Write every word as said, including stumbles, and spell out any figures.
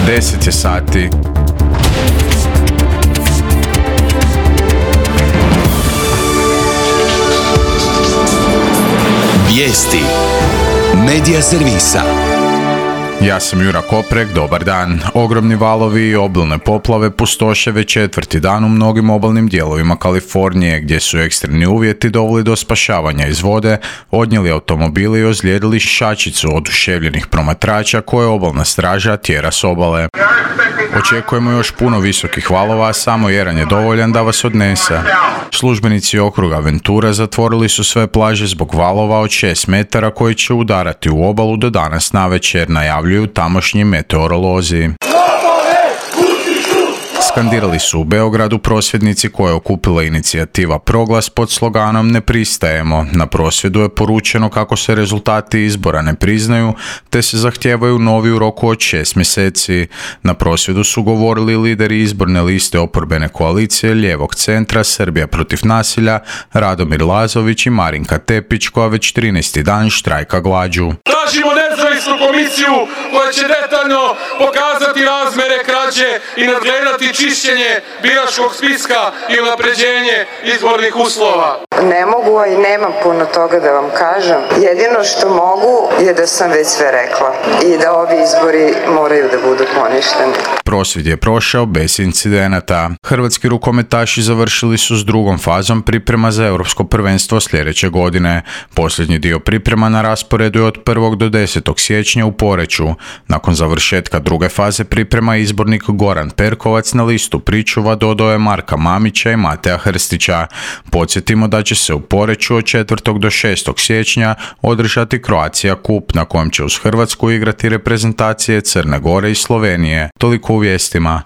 deset je sati. Vijesti Medija servisa. Ja sam Jura Koprek, dobar dan. Ogromni valovi i obilne poplave pustoše već četvrti dan u mnogim obalnim dijelovima Kalifornije, gdje su ekstremni uvjeti doveli do spašavanja iz vode, odnijeli automobili i ozlijedili šačicu oduševljenih promatrača koje obalna straža tjera s obale. Očekujemo još puno visokih valova, a samo jedan je dovoljan da vas odnese. Službenici okruga Ventura zatvorili su sve plaže zbog valova od šest metara koji će udarati u obalu do danas navečer, najavljuju tamošnji meteorolozi. Skandirali su u Beogradu prosvjednici koje je okupila inicijativa Proglas pod sloganom Ne pristajemo. Na prosvjedu je poručeno kako se rezultati izbora ne priznaju, te se zahtijevaju novi u roku od šest mjeseci. Na prosvjedu su govorili lideri izborne liste oporbene koalicije Lijevog centra Srbija protiv nasilja, Radomir Lazović i Marinka Tepić, koja već trinaesti dan štrajka glađu. Tražimo nezavisnu komisiju koja će detaljno pokazati razmere krađe i nadgledati čišćenje biračkog spiska i unapređenje izbornih uslova. Ne mogu i nemam puno toga da vam kažem. Jedino što mogu je da sam već sve rekla i da ovi izbori moraju da budu poništeni. Prosvjed je prošao bez incidenata. Hrvatski rukometaši završili su s drugom fazom priprema za europsko prvenstvo sljedeće godine. Posljednji dio priprema na rasporedu je od prvog do desetog siječnja u Poreču. Nakon završetka druge faze priprema izbornik Goran Perkovac na listu pričuva dodao je Marka Mamića i Mateja Hrstića. Podsjetimo da će se u Poreču od četvrtog do šestog siječnja održati Croatia Cup, na kojem će uz Hrvatsku igrati reprezentacije Crne Gore i Slovenije. Toliko u vijestima.